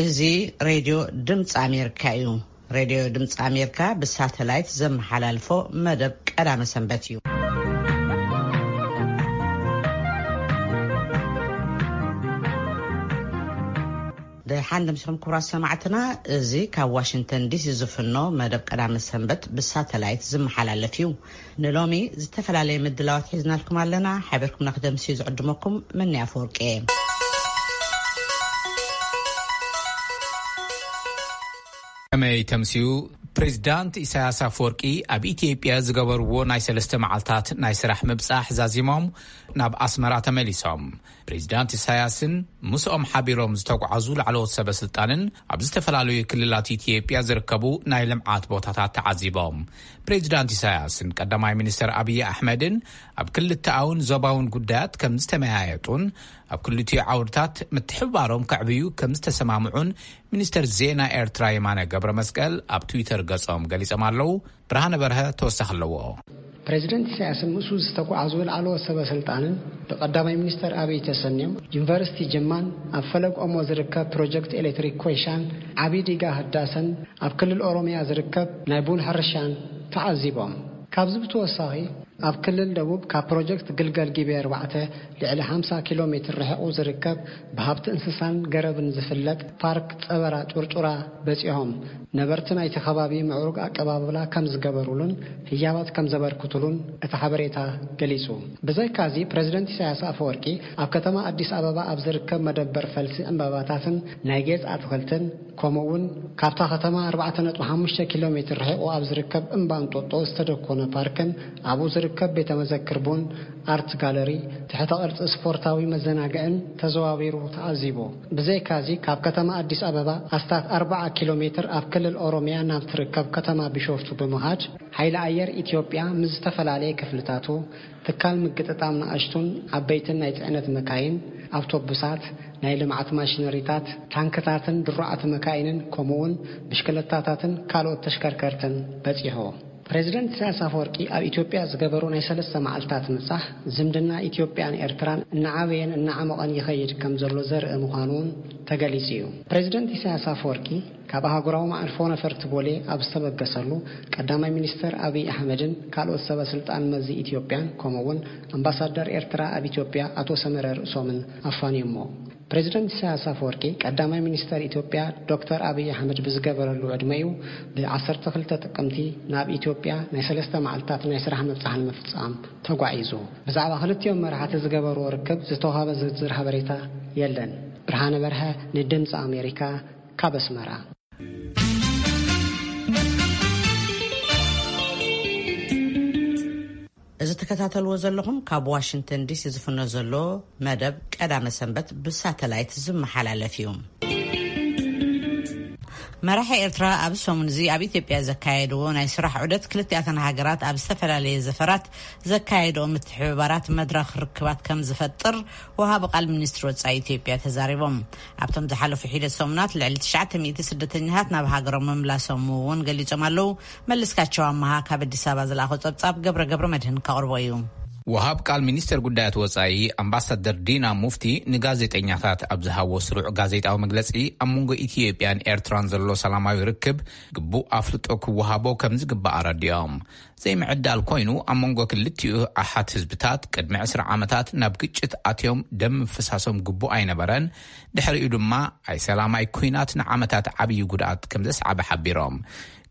እዚ ሬድዮ ድምፂ ኣሜሪካ እዩ። ሬድዮ ድምፂ ኣሜሪካ ብሳተላይት ዘመሓላልፎ መደብ ቀዳመ ሰንበት እዩ። ደሓን ደምሲኹም ክቡራት ሰማዕትና፣ እዚ ካብ ዋሽንግተን ዲሲ ዝፍኖ መደብ ቀዳመ ሰንበት ብሳተላይት ዝመሓላለፍ እዩ። ንሎሚ ዝተፈላለየ ምድላዋት ሒዝናልኩም ኣለና። ሓቢርኩምና ክደምስዩ ዝዕድመኩም መኒ ኣፈወርቂ እየ። ከመይ ተምስዩ? ፕሬዚዳንት ኢሳያስ ኣፈወርቂ ኣብ ኢትዮጵያ ዝገበርዎ ናይ ሰለስተ መዓልታት ናይ ስራሕ ምብጻሕ ዛዚሞም ናብ ኣስመራ ተመሊሶም። ፕሬዚዳንት ኢሳያስን ምስኦም ሓቢሮም ዝተጓዓዙ ላዕለዎት ሰበ ስልጣንን ኣብ ዝተፈላለዩ ክልላት ኢትዮጵያ ዝርከቡ ናይ ልምዓት ቦታታት ተዓዚቦም። ፕሬዚዳንት ኢሳያስን ቀዳማይ ሚኒስትር ኣብይ ኣሕመድን ኣብ ክልተኣውን ዞባውን ጉዳያት ከም ዝተመያየጡን ኣብ ክልቲኡ ዓውድታት ምትሕብባሮም ከዕብዩ ከም ዝተሰማምዑን ሚኒስትር ዜና ኤርትራ የማነ ገብረ መስቀል ኣብ ትዊተር ገጾም ገሊጾም ኣለዉ። ብርሃነ በርሀ ተወሳኺ ኣለዎ። ፕሬዚደንት ኢሳያስን ምስኡ ዝተጓዓዙ ላዕለዎት ሰበ ስልጣንን ብቀዳማይ ሚኒስተር ኣብይ ተሰንዮም ዩኒቨርሲቲ ጅማን ኣብ ፈለግ ኦሞ ዝርከብ ፕሮጀክት ኤሌክትሪክ ኮይሻን ዓቢ ዲጋ ህዳሰን ኣብ ክልል ኦሮሚያ ዝርከብ ናይ ቡን ሕርሻን ተዓዚቦም። ካብዚ ብተወሳኺ ኣብ ክልል ደቡብ ካብ ፕሮጀክት ግልገል ጊቤ ኣርባዕተ ልዕሊ ሓምሳ ኪሎ ሜትር ርሒቑ ዝርከብ ብሃብቲ እንስሳን ገረብን ዝፍለጥ ፓርክ ጸበራ ጩርጩራ በጺሖም ነበርቲ ናይቲ ከባቢ ምዕሩግ ኣቀባብላ ከም ዝገበሩሉን ህያባት ከም ዘበርክቱሉን እቲ ሓበሬታ ገሊጹ። ብዘይካዚ ፕሬዚደንት ኢሳያስ ኣፈወርቂ ኣብ ከተማ ኣዲስ ኣበባ ኣብ ዝርከብ መደበር ፈልሲ ዕምባባታትን ናይ ጌጽ ኣትኽልትን ከምኡ እውን ካብታ ከተማ ኣርባዕተ ነጥቢ ሓሙሽተ ኪሎ ሜትር ርሒቑ ኣብ ዝርከብ እምባ እንጦጦ ዝተደኮነ ፓርክን ኣብኡ ዝርከብ ቤተ መዘክር ቡን ኣርት ጋለሪ ትሕተ ቅርጺ ስፖርታዊ መዘናግዕን ተዘዋዊሩ ተዓዚቡ። ብዘይካዚ ካብ ከተማ ኣዲስ ኣበባ ኣስታት ኣርባዓ ኪሎ ሜትር ኣብ ክልል ኦሮሚያ ናብ ትርከብ ከተማ ቢሾፍቱ ብምኻድ ሓይሊ ኣየር ኢትዮጵያ ምስ ዝተፈላለየ ክፍልታቱ ትካል ምግጥጣም ንኣሽቱን ዓበይትን ናይ ጽዕነት መካይን፣ ኣውቶቡሳት፣ ናይ ልምዓት ማሽነሪታት፣ ታንክታትን ድሩዓት መካይንን ከምኡውን ብሽክለታታትን ካልኦት ተሽከርከርትን በጺሑ። ፕሬዚደንት ኢሳያስ ኣፈወርቂ ኣብ ኢትዮጵያ ዝገበሩ ናይ ሰለስተ መዓልታት ምብጻሕ ዝምድና ኢትዮጵያን ኤርትራን እናዓበየን እናዓመቐን ይኸይድ ከም ዘሎ ዘርኢ ምዃኑ እውን ተገሊጹ እዩ። ፕሬዚደንት ኢሳያስ ኣፈወርቂ ካብ ኣህጉራዊ መዓርፎ ነፈርቲ ቦሌ ኣብ ዝተበገሰሉ ቀዳማይ ሚኒስተር ኣብይ ኣሕመድን ካልኦት ሰበ ስልጣን መዚ ኢትዮጵያን ከምኡ እውን ኣምባሳደር ኤርትራ ኣብ ኢትዮጵያ ኣቶ ሰመረ ርእሶምን ኣፋንዮሞ። ፕሬዚደንት ኢሳያስ ኣፈወርቂ ቀዳማይ ሚኒስተር ኢትዮጵያ ዶክተር ኣብይ ኣሕመድ ብዝገበረሉ ዕድመ እዩ ብ ዓሰርተ ክልተ ጥቅምቲ ናብ ኢትዮጵያ ናይ ሰለስተ መዓልታት ናይ ስራሕ ምብጻሕ ንምፍጻም ተጓዒዙ። ብዛዕባ ክልቲኦም መራሕቲ ዝገበርዎ ርክብ ዝተዋህበ ዝርዝር ሓበሬታ የለን። ብርሃነ በርሀ ንድምፂ ኣሜሪካ ካብ ኣስመራ። እዚ ትከታተልዎ ዘለኹም ካብ ዋሽንግተን ዲሲ ዝፍኖ ዘሎ መደብ ቀዳመ ሰንበት ብሳተላይት ዝመሓላለፍ እዩ። መራሒ ኤርትራ ኣብ ሰሙን እዚ ኣብ ኢትዮጵያ ዘካየድዎ ናይ ስራሕ ዑደት ክልቲኣተን ሃገራት ኣብ ዝተፈላለየ ዘፈራት ዘካየድኦ ምትሕብባራት መድረኽ ርክባት ከም ዝፈጥር ወሃቢ ቃል ሚኒስትሪ ወጻኢ ኢትዮጵያ ተዛሪቦም። ኣብቶም ዝሓለፉ ሒደት ሰሙናት ልዕሊ ትሽዓተ ሚእቲ ስደተኛታት ናብ ሃገሮም ምምላሶም እውን ገሊጾም ኣለዉ። መለስካቸው ኣመሃ ካብ ኣዲስ ኣበባ ዝለኣኾ ጸብጻብ ገብረ ገብረ መድህን ከቕርቦ እዩ። ወሃብ ቃል ሚኒስተር ጉዳያት ወጻኢ ኣምባሳደር ዲና ሙፍቲ ንጋዜጠኛታት ኣብ ዝሃቦ ስሩዕ ጋዜጣዊ መግለጺ፣ ኣብ መንጎ ኢትዮጵያን ኤርትራን ዘሎ ሰላማዊ ርክብ ግቡእ ኣፍልጦ ክወሃቦ ከም ዝግባእ ኣረዲኦም። ዘይምዕዳል ኮይኑ፣ ኣብ መንጎ ክልቲኡ ኣሓት ህዝብታት ቅድሚ ዕስራ ዓመታት ናብ ግጭት ኣትዮም ደም ምፍሳሶም ግቡእ ኣይነበረን። ድሕሪኡ ድማ ኣይሰላማይ ኲናት ንዓመታት ዓብዪ ጉድኣት ከም ዘስዓበ ሓቢሮም።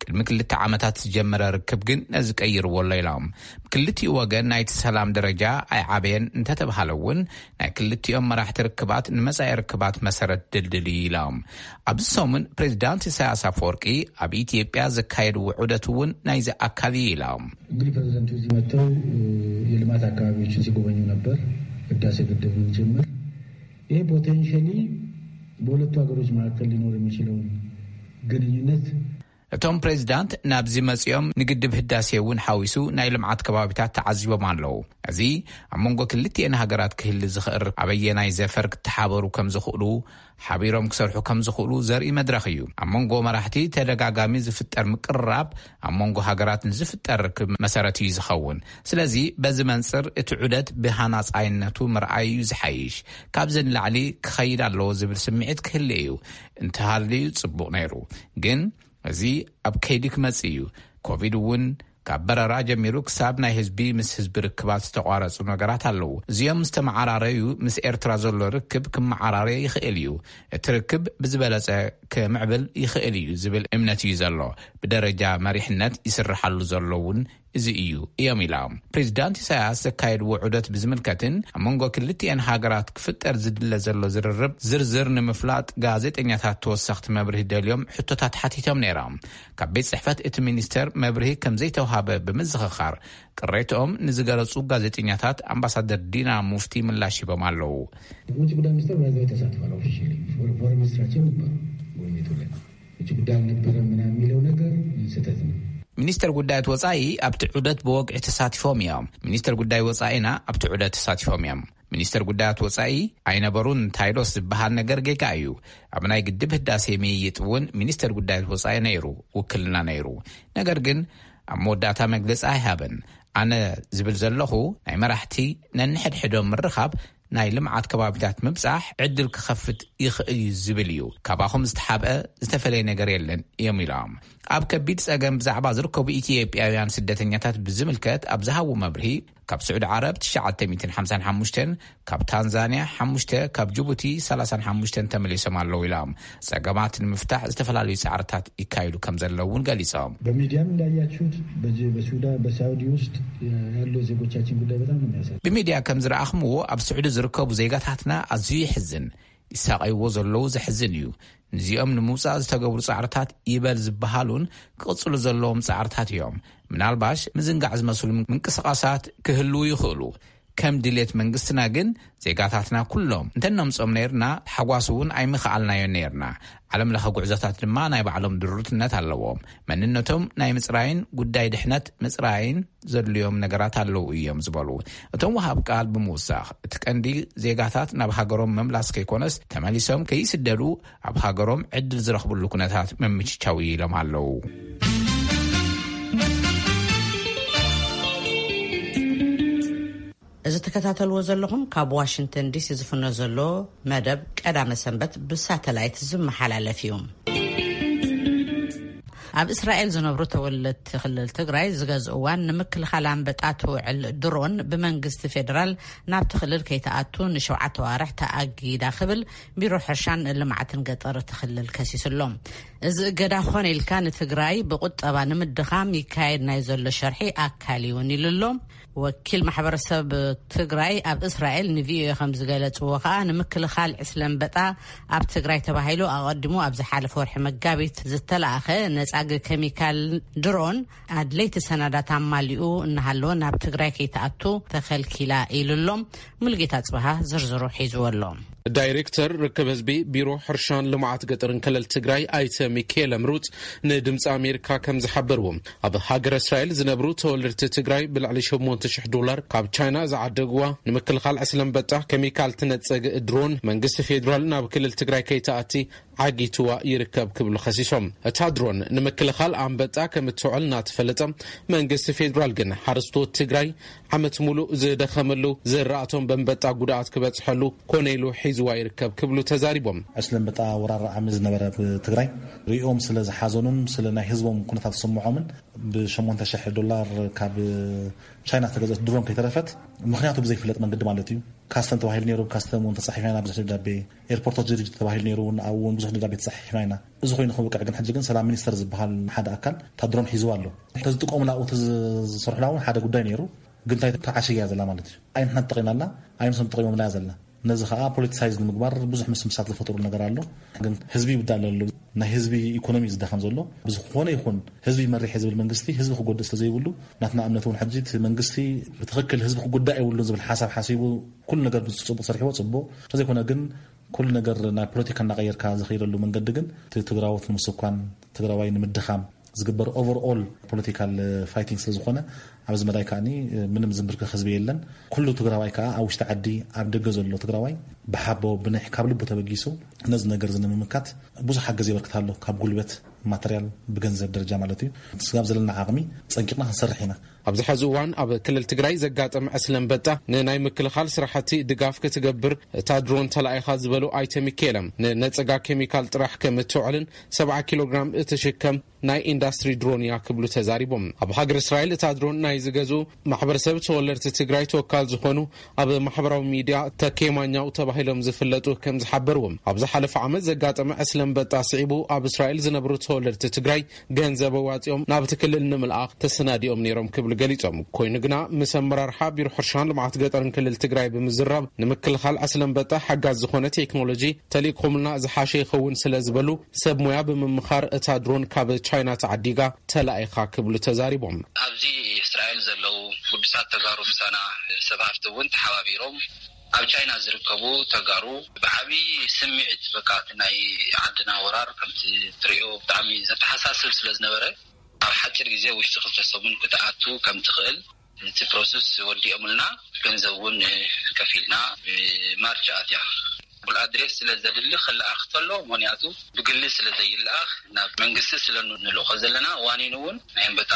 ቅድሚ ክልተ ዓመታት ዝጀመረ ርክብ ግን ነዚ ቀይርዎ ኣሎ ኢሎም። ብክልቲኡ ወገን ናይቲ ሰላም ደረጃ ኣይዓበየን እንተተባሃለ እውን፣ ናይ ክልቲኦም መራሕቲ ርክባት ንመጻኢ ርክባት መሰረት ድልድል እዩ ኢሎም። ኣብዚ ሰሙን ፕሬዚዳንት ኢሳያስ ኣፈወርቂ ኣብ ኢትዮጵያ ዘካየድዎ ዑደት እውን ናይዚ ኣካል እዩ ኢሎም። እንግዲህ ፕሬዚደንቱ እዚህ መጥተው የልማት አካባቢዎችን ሲጎበኙ ነበር፣ ህዳሴ ግድብን ጭምር። ይሄ ፖቴንሻሊ በሁለቱ ሀገሮች መካከል ሊኖር የሚችለውን ግንኙነት እቶም ፕሬዚዳንት ናብዚ መጺኦም ንግድብ ህዳሴ እውን ሓዊሱ ናይ ልምዓት ከባቢታት ተዓዚቦም ኣለዉ። እዚ ኣብ መንጎ ክልቲኤን ሃገራት ክህሊ ዝኽእል ኣበየናይ ዘፈር ክተሓበሩ ከም ዝኽእሉ፣ ሓቢሮም ክሰርሑ ከም ዝኽእሉ ዘርኢ መድረኽ እዩ። ኣብ መንጎ መራሕቲ ተደጋጋሚ ዝፍጠር ምቅርራብ ኣብ መንጎ ሃገራት ንዝፍጠር ርክብ መሰረት እዩ ዝኸውን። ስለዚ በዚ መንጽር እቲ ዑደት ብሃናጻይነቱ ምርኣይ እዩ ዝሓይሽ። ካብዚ ንላዕሊ ክኸይድ ኣለዎ ዝብል ስምዒት ክህሉ እዩ። እንተሃልዩ ጽቡቕ ነይሩ። ግን እዚ ኣብ ከይዲ ክመጽእ እዩ። ኮቪድ እውን ካብ በረራ ጀሚሩ ክሳብ ናይ ህዝቢ ምስ ህዝቢ ርክባት ዝተቋረጹ ነገራት ኣለዉ። እዚኦም ምስ ተመዓራረዩ ምስ ኤርትራ ዘሎ ርክብ ክመዓራረይ ይኽእል እዩ። እቲ ርክብ ብዝበለጸ ክምዕብል ይኽእል እዩ ዝብል እምነት እዩ ዘሎ። ብደረጃ መሪሕነት ይስርሓሉ ዘሎ እውን እዚ እዩ እዮም ኢላ። ፕሬዚዳንት ኢሳያስ ዘካየድዎ ዑደት ብዝምልከትን ኣብ መንጎ ክልቲኤን ሃገራት ክፍጠር ዝድለ ዘሎ ዝርርብ ዝርዝር ንምፍላጥ ጋዜጠኛታት ተወሰኽቲ መብርሂ ደልዮም ሕቶታት ሓቲቶም ነይሮም። ካብ ቤት ጽሕፈት እቲ ሚኒስተር መብርሂ ከም ዘይተውሃበ ብምዝኽኻር ቅሬትኦም ንዝገለጹ ጋዜጠኛታት ኣምባሳደር ዲና ሙፍቲ ምላሽ ሂቦም ኣለዉ። ውጭ ጉዳይ ሚኒስተር በዛ ተሳትፏል። ኦፊሻሊ ፎረን ሚኒስትራችን ነበር ጎብኝቱ ላይ ውጭ ጉዳይ አልነበረም ምናምን የሚለው ነገር ስህተት ነው። ሚኒስተር ጉዳያት ወጻኢ ኣብቲ ዑደት ብወግዒ ተሳቲፎም እዮም። ሚኒስተር ጉዳይ ወጻኢና ኣብቲ ዑደት ተሳቲፎም እዮም። ሚኒስተር ጉዳያት ወጻኢ ኣይነበሩን እንታይዶስ ዝበሃል ነገር ጌጋ እዩ። ኣብ ናይ ግድብ ህዳሴ ምይይጥ እውን ሚኒስተር ጉዳያት ወጻኢ ነይሩ፣ ውክልና ነይሩ። ነገር ግን ኣብ መወዳእታ መግለጺ ኣይሃበን። ኣነ ዝብል ዘለኹ ናይ መራሕቲ ነንሕድሕዶም ምርኻብ ናይ ልምዓት ከባቢታት ምብጻሕ ዕድል ክኸፍት ይኽእል እዩ ዝብል እዩ። ካባኹም ዝተሓብአ ዝተፈለየ ነገር የለን እዮም ኢሎም። ኣብ ከቢድ ጸገም ብዛዕባ ዝርከቡ ኢትዮጵያውያን ስደተኛታት ብዝምልከት ኣብ ዝሃቡ መብርሂ፣ ካብ ስዑዲ ዓረብ ትሽዓተ ሚእትን ሓምሳን ሓሙሽተን፣ ካብ ታንዛንያ ሓሙሽተ፣ ካብ ጅቡቲ ሰላሳን ሓሙሽተን ተመሊሶም ኣለዉ ኢሎም። ጸገማት ንምፍታሕ ዝተፈላለዩ ጻዕርታት ይካየዱ ከም ዘለዉ እውን ገሊጾም። በሚዲያም እንዳያችሁት በዚ በሱዳን በሳውዲ ውስጥ ያለው ዜጎቻችን ጉዳይ በጣም ነው የሚያሳዝነው። ብሚድያ ከም ዝረኣኽምዎ ኣብ ስዑዲ ዝርከቡ ዜጋታትና ኣዝዩ ይሕዝን። ይሳቐይዎ ዘለዉ ዘሕዝን እዩ። ንዚኦም ንምውጻእ ዝተገብሩ ጻዕርታት ይበል ዝበሃሉን ክቕጽሉ ዘለዎም ጻዕርታት እዮም። ምናልባሽ ምዝንጋዕ ዝመስሉ ምንቅስቓሳት ክህልዉ ይኽእሉ። ከም ድሌት መንግስትና ግን ዜጋታትና ኩሎም እንተነምጾም ነይርና፣ ሓጓስ እውን ኣይምኽኣልናዮን ነይርና። ዓለም ለኸ ጉዕዞታት ድማ ናይ ባዕሎም ድሩትነት ኣለዎም። መንነቶም ናይ ምጽራይን ጉዳይ ድሕነት ምጽራይን ዘድልዮም ነገራት ኣለዉ እዮም ዝበሉ እቶም ወሃብ ቃል ብምውሳኽ፣ እቲ ቀንዲ ዜጋታት ናብ ሃገሮም ምምላስ ከይኮነስ፣ ተመሊሶም ከይስደዱ ኣብ ሃገሮም ዕድል ዝረኽብሉ ኩነታት ምምችቻው ኢሎም ኣለዉ። እዚ ትከታተልዎ ዘለኹም ካብ ዋሽንግተን ዲሲ ዝፍኖ ዘሎ መደብ ቀዳመ ሰንበት ብሳተላይት ዝመሓላለፍ እዩ። ኣብ እስራኤል ዝነብሩ ተወለድቲ ክልል ትግራይ ዝገዝእዋን ንምክልኻል ኣንበጣ ትውዕል ድሮን ብመንግስቲ ፌዴራል ናብቲ ክልል ከይትኣቱ ንሸውዓተ ዋርሕ ተኣጊዳ ክብል ቢሮ ሕርሻን ልምዓትን ገጠር እቲ ክልል ከሲሱ ኣሎ። እዚ እገዳ ኾነ ኢልካ ንትግራይ ብቁጠባ ንምድኻም ይካየድ ናይ ዘሎ ሸርሒ ኣካል እውን ኢሉ ኣሎ። ወኪል ማሕበረሰብ ትግራይ ኣብ እስራኤል ንቪኦኤ ከም ዝገለጽዎ ከኣ፣ ንምክልኻል ዕስለ ኣንበጣ ኣብ ትግራይ ተባሂሉ ኣቐዲሙ ኣብ ዝሓለፈ ወርሒ መጋቢት ዝተላእኸ ነጻጊ ኬሚካል ድሮን ኣድለይቲ ሰነዳት ኣማሊኡ እናሃለወ ናብ ትግራይ ከይትኣቱ ተኸልኪላ ኢሉ ኣሎ። ሙሉጌታ ጽበሃ ዝርዝሩ ሒዝዎ ኣሎ። ዳይሬክተር ርክብ ህዝቢ ቢሮ ሕርሻን ልምዓት ገጠርን ክልል ትግራይ ኣይተ ሚካኤል ኣምሩፅ ንድምፂ ኣሜሪካ ከም ዝሓበርዎ፣ ኣብ ሃገረ እስራኤል ዝነብሩ ተወለድቲ ትግራይ ብልዕሊ ሸሞንተ ሽሕ ዶላር ካብ ቻይና ዝዓደግዋ ንምክልኻል ዕስለ ኣንበጣ ኬሚካል ትነፀግ ድሮን መንግስቲ ፌዴራል ናብ ክልል ትግራይ ከይትኣቲ ዓጊትዋ ይርከብ ክብሉ ከሲሶም። እታ ድሮን ንምክልኻል ኣንበጣ ከም እትውዕል እናተፈለጠ፣ መንግስቲ ፌዴራል ግን ሓረስቶት ትግራይ ዓመት ሙሉእ ዝደኸመሉ፣ ዝራእቶም በንበጣ ጉድኣት ክበፅሐሉ ኮነ ኢሉ ሒዝዋ ይርከብ ክብሉ ተዛሪቦም። ዕስለ ኣንበጣ ወራር ዓሚ ዝነበረ ኣብ ትግራይ ሪኦም ስለ ዝሓዘኑን ስለ ናይ ህዝቦም ኩነታት ዝስምዖምን ብሸሞንተ ሽሕ ዶላር ካብ ቻይና ዝተገዘት ድሮን ከይተረፈት፣ ምኽንያቱ ብዘይፍለጥ መንገዲ ማለት እዩ። ካስተም ተባሂሉ ነይሩ፣ ካስተም እውን ተፃሒፍና ኢና ብዙሕ ደብዳቤ፣ ኤርፖርቶች ድርጅት ተባሂሉ ነይሩ እውን ኣብኡ እውን ብዙሕ ደብዳቤ ተፃሒፍና ኢና። እዚ ኮይኑ ክብቅዕ ግን ሕጂ ግን ሰላም ሚኒስተር ዝበሃል ሓደ ኣካል እታ ድሮን ሒዝዋ ኣሎ። ተዝጥቀሙላ ኣብኡ ተዝሰርሑላ እውን ሓደ ጉዳይ ነይሩ። ግን እንታይ ተዓሽግ እያ ዘላ ማለት እዩ። ኣይ ንሕና ተጠቒምናላ፣ ኣይ ንሶም ተጠቒሞምላ እያ ዘላ። ነዚ ኸኣ ፖለቲሳይዝ ንምግባር ብዙሕ ምስምሳት ዝፈጠሩ ነገር ኣሎ። ግን ህዝቢ ይብዳል ኣሎ። ናይ ህዝቢ ኢኮኖሚ ዝዳኸም ዘሎ ብዝኾነ ይኹን ህዝቢ መሪሕ ዝብል መንግስቲ ህዝቢ ክጎድእ ስለ ዘይብሉ፣ ናትና እምነት እውን ሕጂ እቲ መንግስቲ ብትኽክል ህዝቢ ክጉዳእ የብሉን ዝብል ሓሳብ ሓሲቡ ኩሉ ነገር ብፅቡቕ ሰሪሕዎ ፅቡቕ። እንተዘይኮነ ግን ኩሉ ነገር ናብ ፖለቲካ እናቐየርካ ዝኸይደሉ መንገዲ ግን እቲ ትግራዎት ንምስኳን፣ ትግራዋይ ንምድኻም፣ ዝግበር ኦቨርኦል ፖለቲካል ፋይቲንግ ስለ ዝኾነ፣ ኣብዚ መዳይ ከዓኒ ምንም ዝምብርከኽ ህዝቢ የለን። ኩሉ ትግራዋይ ከዓ ኣብ ውሽጢ ዓዲ፣ ኣብ ደገ ዘሎ ትግራዋይ ብሓቦ ብንሕ ካብ ልቡ ተበጊሱ ነዚ ነገር እዚ ንምምካት ብዙሕ ሓገዝ የበርክት ኣሎ። ካብ ጉልበት፣ ማተርያል፣ ብገንዘብ ደረጃ ማለት እዩ። ስጋብ ዘለና ዓቕሚ ጸንቂቕና ክንሰርሕ ኢና። ኣብዚ ሐዚ እዋን ኣብ ክልል ትግራይ ዘጋጠመ ዕስለ ኣንበጣ ንናይ ምክልኻል ስራሕቲ ድጋፍ ክትገብር እታ ድሮን ተላኢኻ ዝበሉ ኣይተ ሚካኤለም፣ ንነፀጋ ኬሚካል ጥራሕ ከም እትውዕልን ሰብዓ ኪሎ ግራም እትሽከም ናይ ኢንዳስትሪ ድሮን እያ ክብሉ ተዛሪቦም። ኣብ ሃገር እስራኤል እታ ድሮን ናይ ዝገዝኡ ማሕበረሰብ ተወለድቲ ትግራይ ተወካል ዝኾኑ ኣብ ማሕበራዊ ሚድያ ተኬማኛው ተባሂሎም ዝፍለጡ ከም ዝሓበርዎም፣ ኣብ ዝሓለፈ ዓመት ዘጋጠመ ዕስለ ኣንበጣ ስዒቡ ኣብ እስራኤል ዝነብሩ ተወለድቲ ትግራይ ገንዘብ ኣዋፂኦም ናብቲ ክልል ንምልኣኽ ተሰናዲኦም ነይሮም ክብሉ ገሊፆም። ኮይኑ ግና ምስ ኣመራርሓ ቢሮ ሕርሻን ልምዓት ገጠርን ክልል ትግራይ ብምዝራብ ንምክልኻል ዕስለ ኣንበጣ ሓጋዝ ዝኾነ ቴክኖሎጂ ተልኢኹምልና ዝሓሸ ይኸውን ስለ ዝበሉ ሰብ ሞያ ብምምኻር እታ ድሮን ካብ ቻይና ተዓዲጋ ተላኢኻ ክብሉ ተዛሪቦም። ኣብዚ እስራኤል ዘለዉ ግዱሳት ተጋሩ ምሳና ሰብ ሃፍቲ እውን ተሓባቢሮም ኣብ ቻይና ዝርከቡ ተጋሩ ብዓብዪ ስምዒት በቃ እቲ ናይ ዓድና ወራር ከምቲ ትሪኦ ብጣዕሚ ዘተሓሳስብ ስለ ዝነበረ ኣብ ሓፂር ግዜ ውሽጢ ክልተ ሰሙን ክትኣቱ ከም ትኽእል እቲ ፕሮሰስ ወዲኦምልና ገንዘብ እውን ከፊልና ማርች ኣትያ ፉል ኣድሬስ ስለ ዘድሊ ክለኣኽ ተሎ ምክንያቱ ብግሊ ስለ ዘይለኣኽ ናብ መንግስቲ ስለ ንልእኾ ዘለና ዋኒን እውን ናይ ኣንበጣ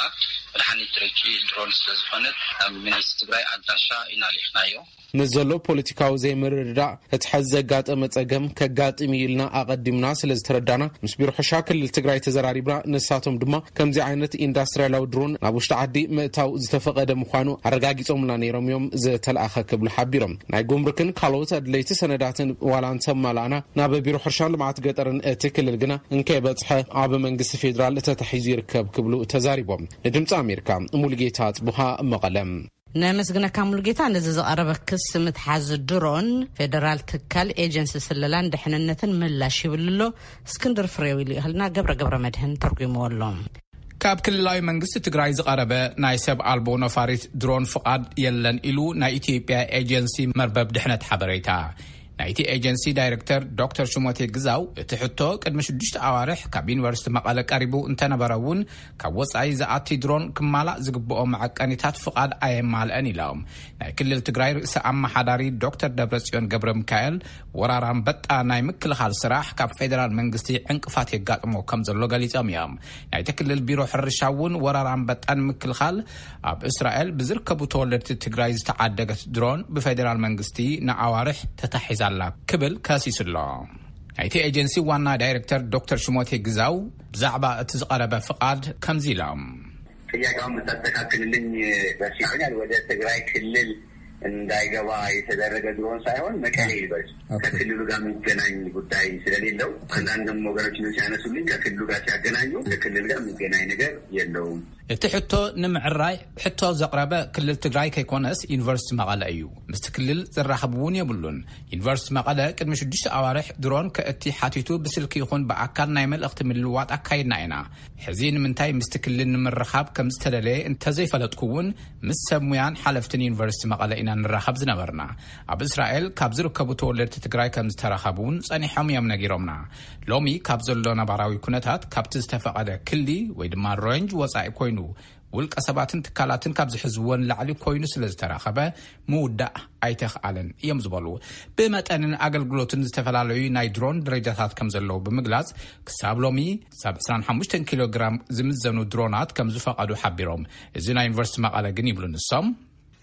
መድሓኒት ትረጪ ድሮን ስለ ዝኾነት ናብ መንግስቲ ትግራይ ኣድራሻ ኢና ልኢኽናዮ። ምስ ዘሎ ፖለቲካዊ ዘይምርድዳእ እቲ ሐዚ ዘጋጠመ ጸገም ከጋጥም እዩ ኢልና ኣቐዲምና ስለ ዝተረዳና ምስ ቢሮ ሕርሻ ክልል ትግራይ ተዘራሪብና። ንሳቶም ድማ ከምዚ ዓይነት ኢንዳስትሪያላዊ ድሮን ናብ ውሽጢ ዓዲ ምእታው ዝተፈቐደ ምዃኑ ኣረጋጊጾምልና ነይሮም እዮም ዝተለኣኸ ክብሉ ሓቢሮም። ናይ ጉምሩክን ካልኦት ኣድለይቲ ሰነዳትን ዋላ እንተማላእና ናብ ቢሮ ሕርሻን ልምዓት ገጠርን እቲ ክልል ግና እንከይበጽሐ ኣብ መንግስቲ ፌዴራል ተታሒዙ ይርከብ ክብሉ ተዛሪቦም። ንድምፂ ኣሜሪካ ሙሉጌታ ኣጽቡሃ መቐለም። ነመስግነካ ሙሉጌታ። ነዚ ዝቐረበ ክስ ምትሓዝ ድሮን ፌደራል ትካል ኤጀንሲ ስለላን ድሕንነትን ምላሽ ይብል ኣሎ። እስክንድር ፍሬው ኢሉ ይኽልና ገብረ ገብረ መድህን ተርጉምዎ ኣሎ። ካብ ክልላዊ መንግስቲ ትግራይ ዝቐረበ ናይ ሰብ ኣልቦ ነፋሪት ድሮን ፍቓድ የለን ኢሉ ናይ ኢትዮጵያ ኤጀንሲ መርበብ ድሕነት ሓበሬታ። ናይቲ ኤጀንሲ ዳይሬክተር ዶክተር ሽሞቴ ግዛው እቲ ሕቶ ቅድሚ ሽዱሽተ ኣዋርሕ ካብ ዩኒቨርሲቲ መቐለ ቀሪቡ እንተነበረ እውን ካብ ወፃኢ ዝኣቲ ድሮን ክማላእ ዝግብኦ መዐቀኒታት ፍቓድ ኣየማልአን ኢሎም። ናይ ክልል ትግራይ ርእሰ ኣመሓዳሪ ዶክተር ደብረጽዮን ገብረ ሚካኤል ወራር ኣንበጣ ናይ ምክልኻል ስራሕ ካብ ፌደራል መንግስቲ ዕንቅፋት የጋጥሞ ከም ዘሎ ገሊጾም እዮም። ናይቲ ክልል ቢሮ ሕርሻ እውን ወራር ኣንበጣ ንምክልኻል ኣብ እስራኤል ብዝርከቡ ተወለድቲ ትግራይ ዝተዓደገት ድሮን ብፌደራል መንግስቲ ንኣዋርሕ ተታሒዛላ ክብል ከሲሱ ኣሎ። ናይቲ ኤጀንሲ ዋና ዳይሬክተር ዶክተር ሽሞቴ ግዛው ብዛዕባ እቲ ዝቐረበ ፍቓድ ከምዚ ኢሎም። ጥያቄውን ብታስተካክልልኝ ደስ ይለኛል። ወደ ትግራይ ክልል እንዳይገባ የተደረገ ድሮን ሳይሆን መቀሌ ዩኒቨርሲቲ ከክልሉ ጋር የሚገናኝ ጉዳይ ስለሌለው አንዳንድም ወገኖች ምን ሲያነሱልኝ ከክልሉ ጋር ሲያገናኙ ከክልል ጋር የሚገናኝ ነገር የለውም። እቲ ሕቶ ንምዕራይ ሕቶ ዘቕረበ ክልል ትግራይ ከይኮነስ ዩኒቨርሲቲ መቐለ እዩ። ምስቲ ክልል ዘራኽብ እውን የብሉን። ዩኒቨርሲቲ መቐለ ቅድሚ ሽዱሽተ ኣዋርሕ ድሮን ከእቲ ሓቲቱ ብስልኪ ይኹን ብኣካል ናይ መልእኽቲ ምልውዋጥ ኣካይድና ኢና። ሕዚ ንምንታይ ምስቲ ክልል ንምርኻብ ከም ዝተደለየ እንተዘይፈለጥኩ እውን ምስ ሰብ ሙያን ሓለፍትን ዩኒቨርሲቲ መቐለ ኢና ንራኸብ ዝነበርና። ኣብ እስራኤል ካብ ዝርከቡ ተወለድቲ ትግራይ ከም ዝተራኸቡ እውን ጸኒሖም እዮም ነጊሮምና። ሎሚ ካብ ዘሎ ነባራዊ ኩነታት ካብቲ ዝተፈቐደ ክሊ ወይ ድማ ሬንጅ ወጻኢ ኮይኑ ውልቀ ሰባትን ትካላትን ካብ ዝሕዝዎ ንላዕሊ ኮይኑ ስለ ዝተራኸበ ምውዳእ ኣይተኽኣለን እዮም ዝበሉ። ብመጠንን ኣገልግሎትን ዝተፈላለዩ ናይ ድሮን ደረጃታት ከም ዘለዉ ብምግላጽ ክሳብ ሎሚ ክሳብ ዕስራን ሓሙሽተን ኪሎ ግራም ዝምዘኑ ድሮናት ከም ዝፈቐዱ ሓቢሮም። እዚ ናይ ዩኒቨርሲቲ መቐለ ግን ይብሉ ንሶም።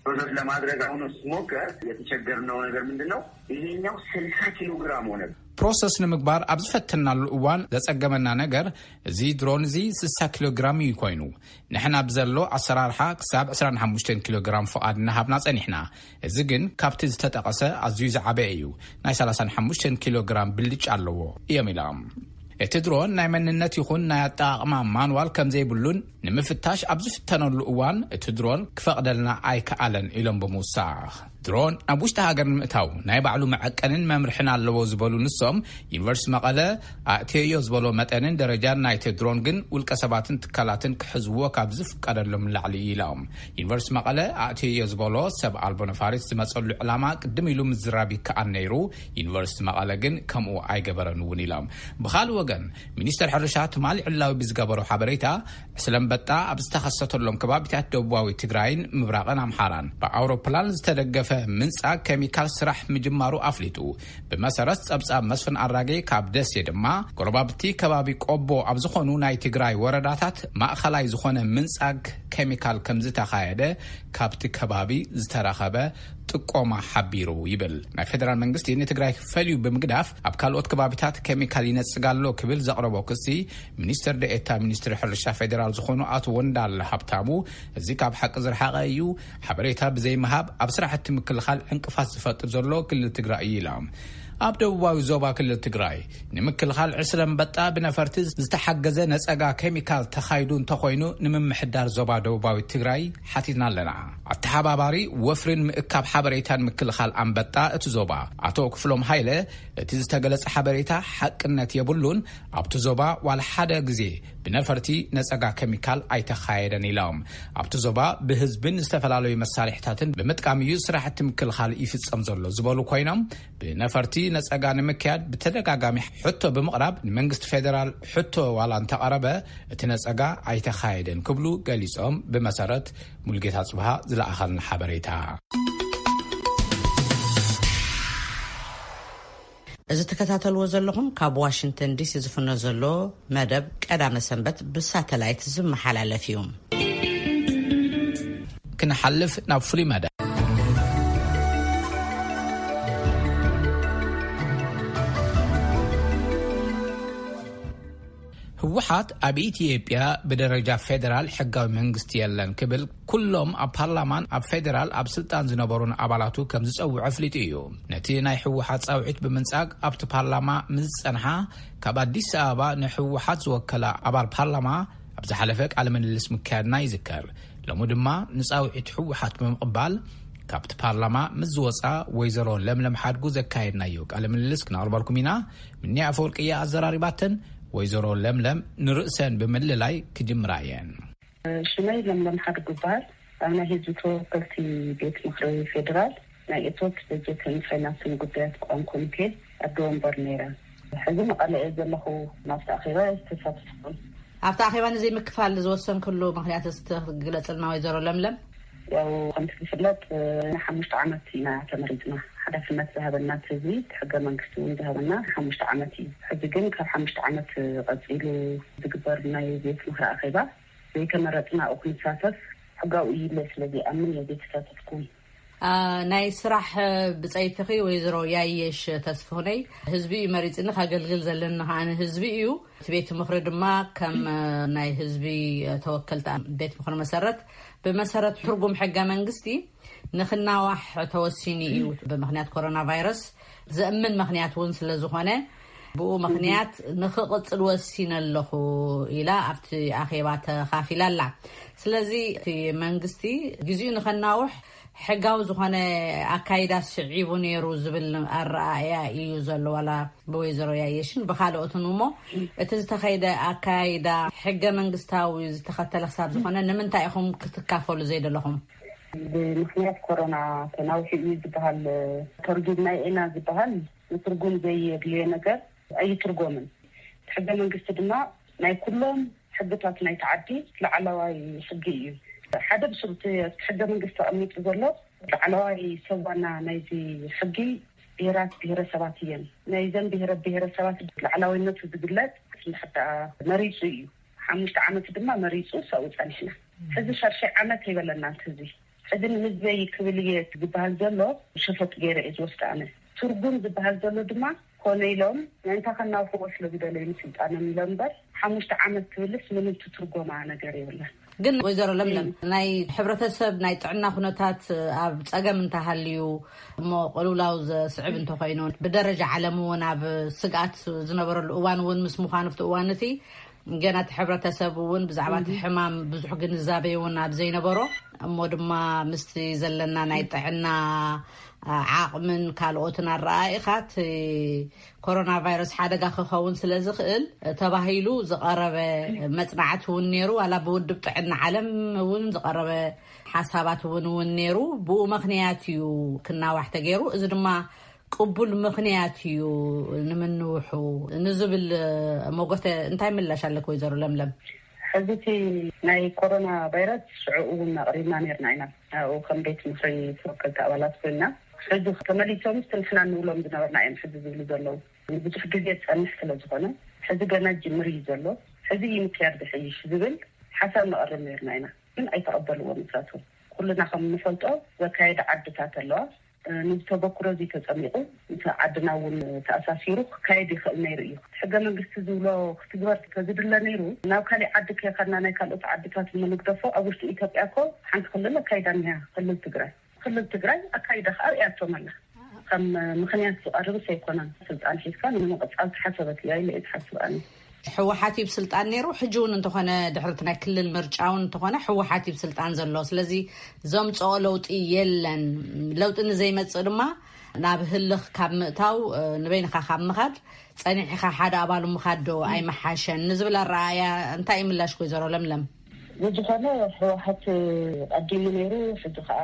ፕሮሰስ ለማድረግ አሁን ስሞከር የተቸገርነው ነገር ምንድን ነው? ይሄኛው ስልሳ ኪሎ ግራም ሆነ። ፕሮሰስ ንምግባር ኣብ ዝፈተናሉ እዋን ዘጸገመና ነገር እዚ ድሮን እዚ ስሳ ኪሎ ግራም እዩ ኮይኑ። ንሕና ብዘሎ ኣሰራርሓ ክሳብ ዕስራን ሓሙሽተን ኪሎ ግራም ፍቓድ እናሃብና ጸኒሕና። እዚ ግን ካብቲ ዝተጠቐሰ ኣዝዩ ዝዓበየ እዩ። ናይ ሰላሳን ሓሙሽተን ኪሎ ግራም ብልጫ ኣለዎ እዮም ኢሎም። እቲ ድሮን ናይ መንነት ይኹን ናይ ኣጠቓቕማ ማንዋል ከም ዘይብሉን ንምፍታሽ ኣብ ዝፍተነሉ እዋን እቲ ድሮን ክፈቕደልና ኣይከኣለን ኢሎም ብምውሳኽ፣ ድሮን ናብ ውሽጢ ሃገር ንምእታው ናይ ባዕሉ መዐቀንን መምርሕን ኣለዎ ዝበሉ ንሶም፣ ዩኒቨርሲቲ መቐለ ኣእትየዮ ዝበሎ መጠንን ደረጃን ናይቲ ድሮን ግን ውልቀ ሰባትን ትካላትን ክሕዝዎ ካብ ዝፍቀደሎም ንላዕሊ እዩ ኢሎም። ዩኒቨርሲቲ መቐለ ኣእትየዮ ዝበሎ ሰብ ኣልቦ ነፋሪት ዝመፀሉ ዕላማ ቅድም ኢሉ ምዝራብ ይከኣል ነይሩ፣ ዩኒቨርሲቲ መቐለ ግን ከምኡ ኣይገበረን እውን ኢሎም። ብኻልእ ወገን፣ ሚኒስተር ሕርሻ ትማሊ ዕላዊ ብዝገበሮ ሓበሬታ፣ ዕስለ ኣንበጣ ኣብ ዝተኸሰተሎም ከባቢታት ደቡባዊ ትግራይን ምብራቕን ኣምሓራን ብኣውሮፕላን ዝተደገፈ ምንጻግ ኬሚካል ስራሕ ምጅማሩ ኣፍሊጡ። ብመሰረት ጸብጻብ መስፍን ኣራጌ ካብ ደሴ ድማ፣ ጎረባብቲ ከባቢ ቆቦ ኣብ ዝኾኑ ናይ ትግራይ ወረዳታት ማእኸላይ ዝኾነ ምንጻግ ኬሚካል ከም ዝተኻየደ ካብቲ ከባቢ ዝተረኸበ ጥቆማ ሓቢሩ ይብል። ናይ ፌደራል መንግስቲ ንትግራይ ፈልዩ ብምግዳፍ ኣብ ካልኦት ከባቢታት ኬሚካል ይነጽግ ኣሎ ክብል ዘቕረቦ ክሲ፣ ሚኒስትር ደኤታ ሚኒስትሪ ሕርሻ ፌዴራል ዝኾኑ ኣቶ ወንዳለ ሃብታሙ፣ እዚ ካብ ሓቂ ዝረሓቐ እዩ፣ ሓበሬታ ብዘይምሃብ ኣብ ስራሕቲ ምክልኻል ዕንቅፋት ዝፈጥር ዘሎ ክልል ትግራይ እዩ ኢሎም። ኣብ ደቡባዊ ዞባ ክልል ትግራይ ንምክልኻል ዕስለ ኣንበጣ ብነፈርቲ ዝተሓገዘ ነጸጋ ኬሚካል ተኻይዱ እንተኾይኑ፣ ንምምሕዳር ዞባ ደቡባዊ ትግራይ ሓቲትና ኣለና። ኣተሓባባሪ ወፍሪን ምእካብ ሓበሬታን ምክልኻል ኣንበጣ እቲ ዞባ ኣቶ ክፍሎም ሃይለ፣ እቲ ዝተገለጸ ሓበሬታ ሓቅነት የብሉን፣ ኣብቲ ዞባ ዋላ ሓደ ግዜ ብነፈርቲ ነጸጋ ኬሚካል ኣይተኻየደን ኢሎም። ኣብቲ ዞባ ብህዝብን ዝተፈላለዩ መሳርሕታትን ብምጥቃም እዩ ስራሕቲ ምክልኻል ይፍጸም ዘሎ ዝበሉ ኮይኖም፣ ብነፈርቲ ነጸጋ ንምክያድ ብተደጋጋሚ ሕቶ ብምቕራብ ንመንግስቲ ፌዴራል ሕቶ ዋላ እንተቐረበ፣ እቲ ነጸጋ ኣይተኻየደን ክብሉ ገሊጾም። ብመሰረት ሙልጌታ ጽብሃ ዝለኣኸልና ሓበሬታ። እዚ ትከታተልዎ ዘለኹም ካብ ዋሽንግተን ዲሲ ዝፍኖ ዘሎ መደብ ቀዳመ ሰንበት ብሳተላይት ዝመሓላለፍ እዩ። ክንሓልፍ ናብ ፍሉይ መደብ። ህወሓት ኣብ ኢትዮጵያ ብደረጃ ፌደራል ሕጋዊ መንግስቲ የለን ክብል ኩሎም ኣብ ፓርላማን ኣብ ፌደራል ኣብ ስልጣን ዝነበሩን ኣባላቱ ከም ዝጸውዖ ኣፍሊጡ እዩ። ነቲ ናይ ህወሓት ጻውዒት ብምንጻግ ኣብቲ ፓርላማ ምስ ዝጸንሓ ካብ ኣዲስ ኣበባ ንህወሓት ዝወከላ ኣባል ፓርላማ ኣብ ዝሓለፈ ቃለ ምልልስ ምክያድና ይዝከር። ሎሚ ድማ ንጻውዒት ህወሓት ብምቕባል ካብቲ ፓርላማ ምስ ዝወጻ ወይዘሮ ለምለም ሓድጉ ዘካየድናዮ ቃለ ምልልስ ክነቕርበልኩም ኢና። ምንያ ኣፈወርቂ እያ ኣዘራሪባተን። ወይዘሮ ለምለም ንርእሰን ብምልላይ ክጅምራ እየን። ሽመይ ለምለም ሓድጉ ይበሃል። ኣብ ናይ ህዝቢ ተወከልቲ ቤት ምኽሪ ፌዴራል ናይ እቶት በጀትን ፋይናንስን ጉዳያት ቋሚ ኮሚቴ ኣደ ወንበር ነይረ። ሕዚ መቐለ እየ ዘለኹ። ናብቲ ኣኼባ እየ ዝተሳተፍኩ። ኣብቲ ኣኼባ ንዘይምክፋል ዝወሰንክሉ ምኽንያት እስቲ ክትግለጽልና ወይዘሮ ለምለም? ያው ከምቲ ዝፍለጥ ንሓሙሽተ ዓመት ኢና ተመሪጽና። ሓላፍነት ዝሃበና እቲ ህዝቢ፣ እቲ ሕገ መንግስቲ እውን ዝሃበና ሓሙሽተ ዓመት እዩ። ሕዚ ግን ካብ ሓሙሽተ ዓመት ቀጺሉ ዝግበር ናይ ቤት ምኽሪ ኣኼባ ዘይተመረጽና ኣብኡ ክንሳተፍ ሕጋዊ እዩ ኢለ ስለ ዘይኣምን እየ ዘይተሳተፍኩ። አ፣ ናይ ስራሕ ብጸይትኺ ወይዘሮ ያየሽ ተስፍሁነይ፣ ህዝቢ እዩ መሪጽኒ፣ ከገልግል ዘለኒ ከኣ ህዝቢ እዩ። እቲ ቤት ምኽሪ ድማ ከም ናይ ህዝቢ ተወከልቲ ቤት ምኽሪ መሰረት፣ ብመሰረት ትርጉም ሕገ መንግስቲ ንኽናዋሕ ተወሲኑ እዩ። ብምኽንያት ኮሮና ቫይረስ ዘእምን ምኽንያት እውን ስለ ዝኾነ፣ ብኡ ምኽንያት ንኽቕጽል ወሲነ ኣለኹ ኢላ ኣብቲ ኣኼባ ተኻፊላ ኣላ። ስለዚ እቲ መንግስቲ ግዜኡ ንኸናውሕ ሕጋዊ ዝኾነ ኣካይዳ ስዒቡ ነይሩ ዝብል ኣረኣእያ እዩ ዘሎ፣ ዋላ ብወይዘሮ ያየሽን ብኻልኦትን። እሞ እቲ ዝተኸይደ ኣካይዳ ሕገ መንግስታዊ ዝተኸተለ ክሳብ ዝኾነ ንምንታይ ኢኹም ክትካፈሉ ዘይደለኹም? ብምኽንያት ኮሮና ተናዊሑ እዩ ዝበሃል፣ ተርጒምና ኢና ዝበሃል ንትርጉም ዘየድልዮ ነገር ኣይትርጎምን። እቲ ሕገ መንግስቲ ድማ ናይ ኩሎም ሕግታት ናይቲ ዓዲ ላዕለዋይ ሕጊ እዩ። ሓደ ብስሩ እቲ ሕገ መንግስቲ ተቐሚጡ ዘሎ ላዕለዋይ ሰብ ዋና ናይዚ ሕጊ ብሄራት ብሄረሰባት እየን። ናይዘን ብሄረ ብሄረሰባት ላዕላዊነቱ ዝግለጽ እንድሕር ደኣ መሪጹ እዩ። ሓሙሽተ ዓመት ድማ መሪጹ ሰብኡ ጸኒሕና። ሕዚ ሻድሻይ ዓመት ይበለና እቲ ህዝቢ። ሕዚ ንህዝበይ ክብል እየ ዝበሃል ዘሎ ሸፈጥ ገይረ እየ ዝወስድ ኣነ። ትርጉም ዝበሃል ዘሎ ድማ ኮነ ኢሎም ምእንታ ከናውሕዎ ስለ ዝደለዩ ንስልጣኖም ኢሎም እምበር ሓሙሽተ ዓመት ትብልስ ምንም ትትርጎማ ነገር የብላን። ግን ወይዘሮ ለምለም፣ ናይ ሕብረተሰብ ናይ ጥዕና ኩነታት ኣብ ጸገም እንተሃልዩ እሞ ቅልውላው ዘስዕብ እንተኾይኑ፣ ብደረጃ ዓለም እውን ኣብ ስግኣት ዝነበረሉ እዋን እውን ምስ ምዃኑ፣ ኣብቲ እዋን እቲ ገና እቲ ሕብረተሰብ እውን ብዛዕባ እቲ ሕማም ብዙሕ ግንዛቤ እውን ኣብ ዘይነበሮ፣ እሞ ድማ ምስቲ ዘለና ናይ ጥዕና ዓቕምን ካልኦትን ኣረኣኢኻ እቲ ኮሮና ቫይረስ ሓደጋ ክኸውን ስለ ዝኽእል ተባሂሉ ዝቐረበ መጽናዕቲ እውን ነይሩ። ዋላ ብውድብ ጥዕና ዓለም እውን ዝቐረበ ሓሳባት እውን እውን ነይሩ። ብኡ ምኽንያት እዩ ክናዋሕ ተገይሩ። እዚ ድማ ቅቡል ምኽንያት እዩ ንምንውሑ ንዝብል መጎተ እንታይ ምላሽ ኣለክ ወይዘሮ ለምለም? ሕዚ እቲ ናይ ኮሮና ቫይረስ ሽዑ እውን ኣቕሪብና ነርና ኢና። ኣብኡ ከም ቤት ምኽሪ ተወከልቲ ኣባላት ኮይና፣ ሕዚ ተመሊሶም እቲ ንሕና ንብሎም ዝነበርና እዮም ሕዚ ዝብሉ ዘለዉ። ብዙሕ ግዜ ዝጸንሕ ስለ ዝኾነ፣ ሕዚ ገና ጅምር እዩ ዘሎ። ሕዚ እዩ ምክያድ ዝሕይሽ ዝብል ሓሳብ ነቕርብ ነርና ኢና፣ ግን ኣይተቐበልዎ ንሳቶም። ኩልና ከም እንፈልጦ ዘካየደ ዓድታት ኣለዋ። ንዝተበክሮ እዚ ተጸሚቑ ምስ ዓድና እውን ተኣሳሲሩ ክካየድ ይኽእል ነይሩ እዩ። ሕገ መንግስቲ ዝብሎ ክትግበር ተዝድለ ነይሩ፣ ናብ ካሊእ ዓዲ ከይኸድና ናይ ካልኦት ዓድታት እንግደፎ። ኣብ ውሽጢ ኢትዮጵያ እኮ ሓንቲ ክልል ኣካይዳ እኒሃ፣ ክልል ትግራይ። ክልል ትግራይ ኣካይዳ ከኣ ርእያቶም ኣላ። ከም ምኽንያት ዝቐርብስ ኣይኮነን። ስልጣን ሒዝካ ንምቕጻል ተሓሰበት እያ ኢለ እየ ዝሓስብ ኣነ። ሕወሓት እዩ ስልጣን ነይሩ። ሕጂ እውን እንተኾነ ድሕርቲ ናይ ክልል ምርጫ እውን እንተኾነ ሕወሓት እዩ ስልጣን ዘሎ። ስለዚ ዘምፅኦ ለውጢ የለን። ለውጢ ንዘይመፅእ ድማ ናብ ህልኽ ካብ ምእታው ንበይንኻ ካብ ምኻድ ጸኒሕኻ ሓደ ኣባሉ ምኻድ ዶ ኣይመሓሸን ንዝብል ኣረኣእያ እንታይ እዩ ምላሽ ወይዘሮ ለምለም? ብዝኾነ ህወሓት ቀዲሙ ነይሩ፣ ሕጂ ከዓ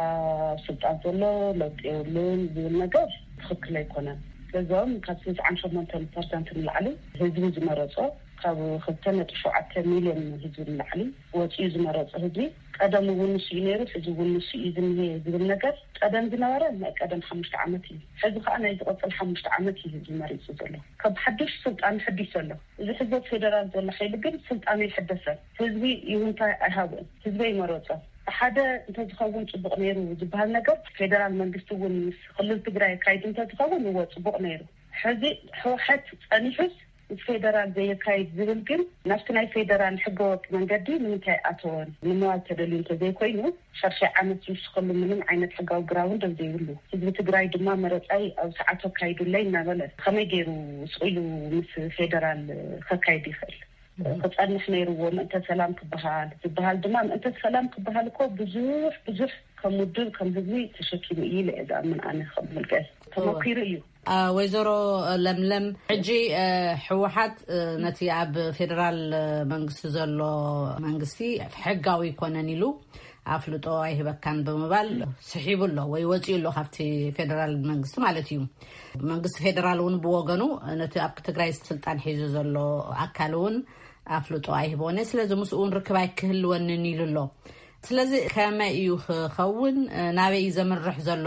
ስልጣን ዘሎ ለውጢ የብሉን ዝብል ነገር ትኽክል ኣይኮነን። ስለዚም ካብ ስስዓን ሸሞንተን ፐርሰንት ንላዕሊ ህዝቢ ዝመረጾ፣ ካብ ክልተ ነጥቢ ሸውዓተ ሚልዮን ህዝቢ ንላዕሊ ወፂኡ ዝመረጾ ህዝቢ፣ ቀደም እውን ንሱ እዩ ነይሩ፣ ሕዚ እውን ንሱ እዩ ዝኒሄ ዝብል ነገር፣ ቀደም ዝነበረ ናይ ቀደም ሓሙሽተ ዓመት እዩ። ሕዚ ከዓ ናይ ዝቐፅል ሓሙሽተ ዓመት እዩ ህዝቢ መሪፁ ዘሎ። ካብ ሓዱሽ ስልጣን ሕዲስ ዘሎ። እዚ ሕዚ ፌደራል ዘሎ ሓይሊ ግን ስልጣኑ ይሕደሰን ህዝቢ ይሁንታ ኣይሃብን። ህዝቢ ይመረጾ። ሓደ እንተዝኸውን ጽቡቕ ነይሩ ዝበሃል ነገር፣ ፌደራል መንግስቲ እውን ምስ ክልል ትግራይ ኣካይዱ እንተዝኸውን እዎ ጽቡቕ ነይሩ። ሕዚ ህወሓት ጸኒሑስ ምስ ፌደራል ዘየካይድ ዝብል ግን ናብቲ ናይ ፌደራል ሕገወጥ መንገዲ ንምንታይ ኣተወን ንምባል ተደልዩ እንተዘይኮይኑ፣ ሻድሻይ ዓመት ዝውስኸሉ ምንም ዓይነት ሕጋዊ ግራውንድ ኣብ ዘይብሉ፣ ህዝቢ ትግራይ ድማ መረጻይ ኣብ ሰዓቱ ኣካይዱለይ እናበለ ከመይ ገይሩ ስቕ ኢሉ ምስ ፌደራል ከካይድ ይኽእል? ክጸንሕ ነይርዎ። ምእንተ ሰላም ክበሃል ዝበሃል ድማ፣ ምእንተ ሰላም ክበሃል እኮ ብዙሕ ብዙሕ ከም ውድብ ከም ህዝቢ ተሸኪሙ እዩ ኢለ እየ ዝኣምን ኣነ። ከም ውልቀ ተመኪሩ እዩ። ወይዘሮ ለምለም፣ ሕጂ ህወሓት ነቲ ኣብ ፌደራል መንግስቲ ዘሎ መንግስቲ ሕጋዊ ኣይኮነን ኢሉ ኣፍልጦ ኣይህበካን ብምባል ስሒቡ ኣሎ ወይ ወፂኡ ኣሎ ካብቲ ፌደራል መንግስቲ ማለት እዩ። መንግስቲ ፌደራል እውን ብወገኑ ነቲ ኣብ ትግራይ ስልጣን ሒዙ ዘሎ ኣካል እውን ኣፍልጦ ኣይህበኒ፣ ስለዚ ምስኡ እውን ርክብ ኣይክህልወንን ኢሉ ኣሎ። ስለዚ ከመይ እዩ ክኸውን? ናበይ እዩ ዘምርሕ ዘሎ?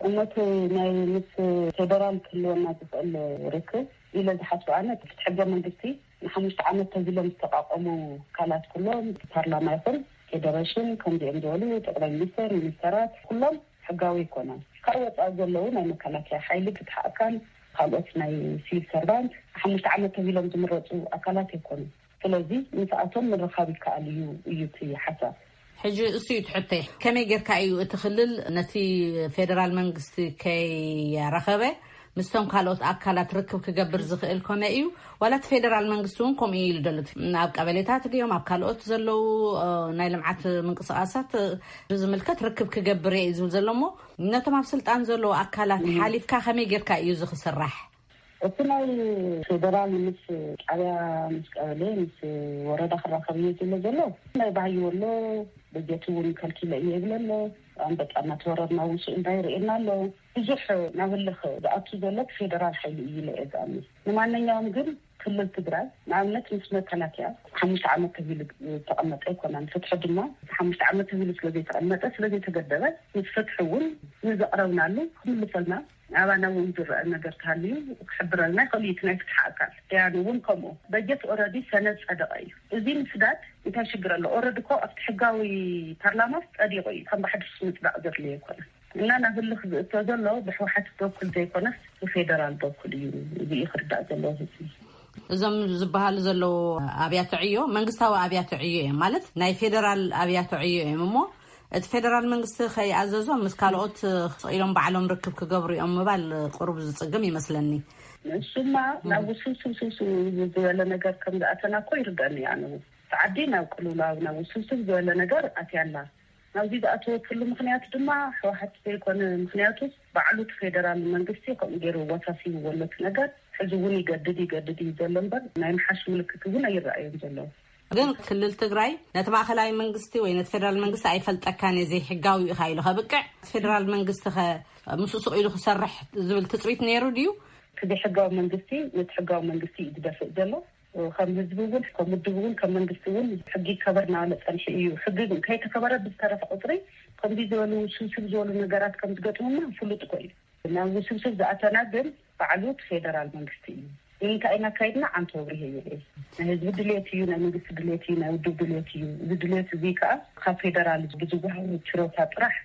እሞቲ ናይ ምስ ፌደራል ክህልወና ዝኽእል ርክብ ኢለ ዝሓስብ ኣነ፣ እቲ ሕገ መንግስቲ ንሓሙሽተ ዓመት ተዚሎም ዝተቋቋሙ ኣካላት ኩሎም፣ ፓርላማ ይኹን ፌደሬሽን፣ ከምዚኦም ዝበሉ ጠቅላይ ሚኒስተር፣ ሚኒስተራት፣ ኩሎም ሕጋዊ ኣይኮነን። ካብ ወፃኢ ዘለዉ ናይ መከላከያ ሓይሊ፣ ፍትሒ ኣካል፣ ካልኦት ናይ ሲቪል ሰርቫንት ሓሙሽተ ዓመት ተዚሎም ዝምረፁ ኣካላት ኣይኮኑን። ስለዚ ምስኣቶም ምርኻብ ይከኣል እዩ እዩ እቲ ሓሳብ። ሕጂ እሱ እዩ ትሕተይ፣ ከመይ ጌርካ እዩ እቲ ክልል ነቲ ፌደራል መንግስቲ ከይረኸበ ምስቶም ካልኦት ኣካላት ርክብ ክገብር ዝኽእል? ኮነ እዩ ዋላ እቲ ፌደራል መንግስቲ እውን ከምኡ እዩ ኢሉ ደሎ? ኣብ ቀበሌታት ድዮም ኣብ ካልኦት ዘለዉ ናይ ልምዓት ምንቅስቃሳት ብዝምልከት ርክብ ክገብር እየ እዩ ዝብል ዘሎ። እሞ ነቶም ኣብ ስልጣን ዘለዉ ኣካላት ሓሊፍካ ከመይ ጌርካ እዩ እዚ ክስራሕ? እቲ ናይ ፌደራል ምስ ጣብያ፣ ምስ ቀበሌ፣ ምስ ወረዳ ክራኸብ እየ ዝብሎ ዘሎ። ናይ ባህይ ወሎ በጀት እውን ከልኪለ እየ ይብለ ኣሎ። ኣንበጣ እናተወረርና እውን ስኡ እንዳይርእየና ኣሎ። ብዙሕ ናብ ህልኽ ዝኣቱ ዘሎ ፌደራል ሓይሊ እዩ ኢለ እየ ዝኣምን። ንማንኛውም ግን ክልል ትግራይ ንኣብነት ምስ መከላከያ ሓሙሽተ ዓመት ተቢሉ ዝተቐመጠ ኣይኮነን። ፍትሒ ድማ ሓሙሽተ ዓመት ተቢሉ ስለ ዘይተቐመጠ፣ ስለ ዘይተገደበ፣ ምስ ፍትሒ እውን ንዘቕረብናሉ ክምልሰልና፣ ኣባና እውን ዝረአ ነገር ተሃልዩ ክሕብረልና ይኽእል እዩ። እቲ ናይ ፍትሒ ኣካል ያኑ እውን ከምኡ። በጀት ኦረዲ ሰነድ ጸደቐ እዩ። እዚ ምስዳድ እንታይ ሽግር ኣሎ? ኦረዲ እኮ ኣብቲ ሕጋዊ ፓርላማ ጸዲቑ እዩ። ከም ብሓድሽ ምጽዳቕ ዘድልዮ ኣይኮነን። እና ናብ ህልኽ ዝእቶ ዘሎ ብሕወሓት በኩል ዘይኮነስ ብፌደራል በኩል እዩ። እዚ እዩ ክርዳእ ዘለዎ ህዝቢ። እዞም ዝበሃሉ ዘለዉ ኣብያተ ዕዮ መንግስታዊ ኣብያተ ዕዮ እዮም፣ ማለት ናይ ፌደራል ኣብያተ ዕዮ እዮም። እሞ እቲ ፌደራል መንግስቲ ከይኣዘዞም ምስ ካልኦት ስቕ ኢሎም ባዕሎም ርክብ ክገብሩ እዮም ምባል ቁሩብ ዝጽግም ይመስለኒ። ንሱማ ናብ ውስብስብ ስብስብ ዝበለ ነገር ከም ዝኣተና እኮ ይርዳኒ። ኣነ እውን እቲ ዓዲ ናብ ቅልውላው ናብ ውስብስብ ዝበለ ነገር ኣትያላ። ናብዚ ዝኣተወትሉ ምክንያት ድማ ሕወሓት ዘይኮነ፣ ምክንያቱ ባዕሉ እቲ ፌደራል መንግስቲ ከምኡ ገይሩ ወሳሲቡ ዘሎ እቲ ነገር ሕዚ እውን ይገድድ ይገድድ እዩ ዘሎ እምበር ናይ ምሓሽ ምልክት እውን ኣይረኣዮም ዘለዉ። ግን ክልል ትግራይ ነቲ ማእኸላይ መንግስቲ ወይ ነቲ ፌደራል መንግስቲ ኣይፈልጠካን እየ፣ ዘይሕጋዊ ኢኻ ኢሉ ከብቅዕ፣ እቲ ፌደራል መንግስቲ ከ ምስኡ ስቕ ኢሉ ክሰርሕ ዝብል ትፅቢት ነይሩ ድዩ? እቲ ዘይሕጋዊ መንግስቲ ነቲ ሕጋዊ መንግስቲ እዩ ዝደፍእ ዘሎ። ከም ህዝቢ እውን ከም ውድብ እውን ከም መንግስቲ እውን ሕጊ ይከበር እናበለ ፀንሑ እዩ። ሕጊ ከይተከበረ ብዝተረፈ ቁፅሪ ከምዚ ዝበሉ ውስብስብ ዝበሉ ነገራት ከም ዝገጥሙና ፍሉጥ እኮ እዩ። ናብ ውስብስብ ዝኣተና ግን ባዕሉ እቲ ፌደራል መንግስቲ እዩ። ንምንታይ ኢና ኣካይድና? ኣንተ ወብሪሄ ይብል። ናይ ህዝቢ ድሌት እዩ፣ ናይ መንግስቲ ድሌት እዩ፣ ናይ ውድብ ድሌት እዩ። እዚ ድሌት እዚ ከዓ ካብ ፌደራል ብዝወሃብ ችሮታ ጥራሕ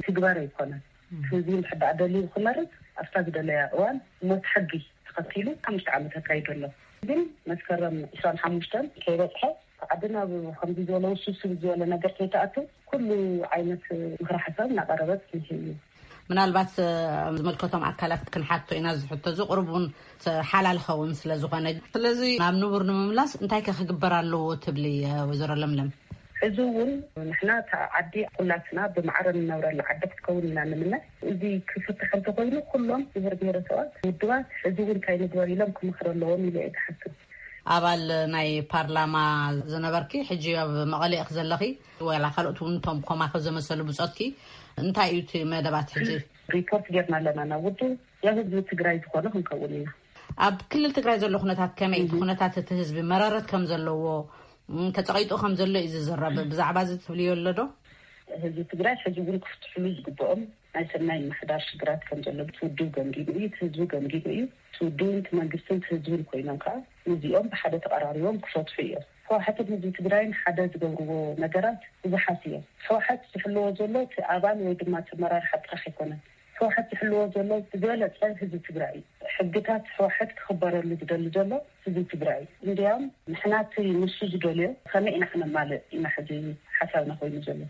ትግበር ኣይኮነን። ህዝቢ እንድሕር ደኣ ደልዩ ክመርፅ ኣብታ ዝደለያ እዋን ሞት ሕጊ ተኸቲሉ ሓሙሽተ ዓመት ኣካይዱ ኣሎ። ግን መስከረም ዕስራን ሓሙሽተን ከይበፅሐ ዓዲ ናብ ከምዚ ዝበለ ውስብስብ ዝበለ ነገር ከይተኣቱ ኩሉ ዓይነት ምኽሪ ሓሳብ እናቐረበት ትንሂ እዩ። ምናልባት ዝመልከቶም ኣካላት ክንሓቶ ኢና። ዝሕቶ ዝቕርብ እውን ሓላል ኸውን ስለ ዝኾነ፣ ስለዚ ናብ ንቡር ንምምላስ እንታይ ከ ክግበር ኣለዎ ትብሊ? ወይዘሮ ለምለም። እዚ እውን ንሕና እታ ዓዲ ኩላትና ብማዕረ ንነብረላ ዓዲ ክትከውን ኢና ንምነ። እዚ ክፍትሕ እንተኮይኑ ኩሎም ብሄር ብሄረሰባት ውድባት እዚ እውን እንታይ ንግበር ኢሎም ክመኽሩ ኣለዎም ኢለ እየ ዝሓስብ። ኣባል ናይ ፓርላማ ዝነበርኪ ሕጂ ኣብ መቐለ ኢኺ ዘለኺ፣ ዋላ ካልኦት እውን እቶም ኮማኺ ዘመሰሉ ብጾትኪ እንታይ እዩ እቲ መደባት ሕጂ? ሪፖርት ጌርና ኣለና ናብ ውድብ፣ ያው ህዝቢ ትግራይ ዝኾነ ክንከውን ኢና። ኣብ ክልል ትግራይ ዘሎ ኩነታት ከመይ እዩ? እቲ ኩነታት እቲ ህዝቢ መረረት ከም ዘለዎ፣ ተፀቒጡ ከም ዘሎ እዩ ዝዝረብ። ብዛዕባ እዚ ትብልዮ ኣሎ ዶ? ህዝቢ ትግራይ ሕዚ እውን ክፍትሕሉ ዝግብኦም ናይ ሰናይ ምሕዳር ሽግራት ከም ዘሎ እቲ ውድብ ገምጊሙ እዩ፣ እቲ ህዝቢ ገምጊሙ እዩ። እቲ ውድብን እቲ መንግስትን እቲ ህዝብን ኮይኖም ከዓ ነዚኦም ብሓደ ተቐራሪቦም ክፈትሑ እዮም። ህወሓትን ህዝቢ ትግራይን ሓደ ዝገብርዎ ነገራት ብዙሓት እዮም። ህወሓት ዝሕልዎ ዘሎ እቲ ኣባል ወይ ድማ እቲ ኣመራርሓ ጥራሕ ኣይኮነን። ህወሓት ዝሕልዎ ዘሎ ዝበለፀ ህዝቢ ትግራይ እዩ። ሕግታት ህወሓት ክኽበረሉ ዝደሊ ዘሎ ህዝቢ ትግራይ እዩ። እንዲያም ንሕና እቲ ንሱ ዝደልዮ ከመይ ኢና ክነማልእ ኢና ሕዚ ሓሳብና ኮይኑ ዘሎ።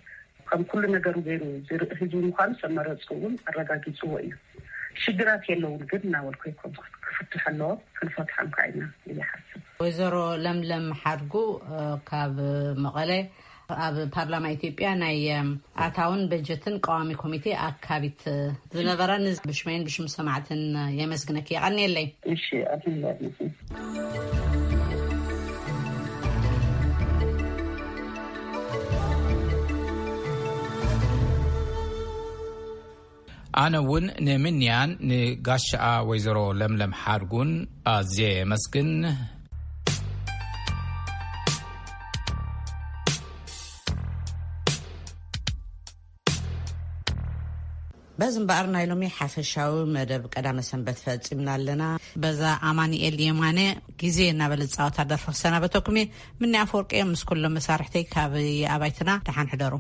ከም ኩሉ ነገሩ ገይሩ ዝርኢ ህዝቢ ምዃኑ ሰብ መረፁ እውን ኣረጋጊፅዎ እዩ። ሽግራት የለውን ግን እናበልኩ ኣይኮንኩን። ክፍትሑ ኣለዎም፣ ክንፈትሖም ከዓ ኢና ኢለ ይሓስብ። ወይዘሮ ለምለም ሓድጉ ካብ መቐለ፣ ኣብ ፓርላማ ኢትዮጵያ ናይ ኣታውን በጀትን ቀዋሚ ኮሚቴ ኣካቢት ዝነበራ፣ ብሽመይን ብሽም ሰማዕትን የመስግነኪ። የቐንየለይ። እሺ፣ ኣሜን። ኣነ እውን ንምንያን ንጋሻኣ ወይዘሮ ለምለም ሓድጉን ኣዝየ የመስግን። በዚ እምበኣር ናይ ሎሚ ሓፈሻዊ መደብ ቀዳመ ሰንበት ፈጺምና ኣለና። በዛ ኣማኑኤል የማነ ግዜ እናበለ ዝጻወታ ደርፊ ክሰናበተኩም እየ። ምኒ ኣፈወርቂ እየ ምስ ኩሎም መሳርሕተይ ካብ ኣባይትና። ደሓን ሕደሩ።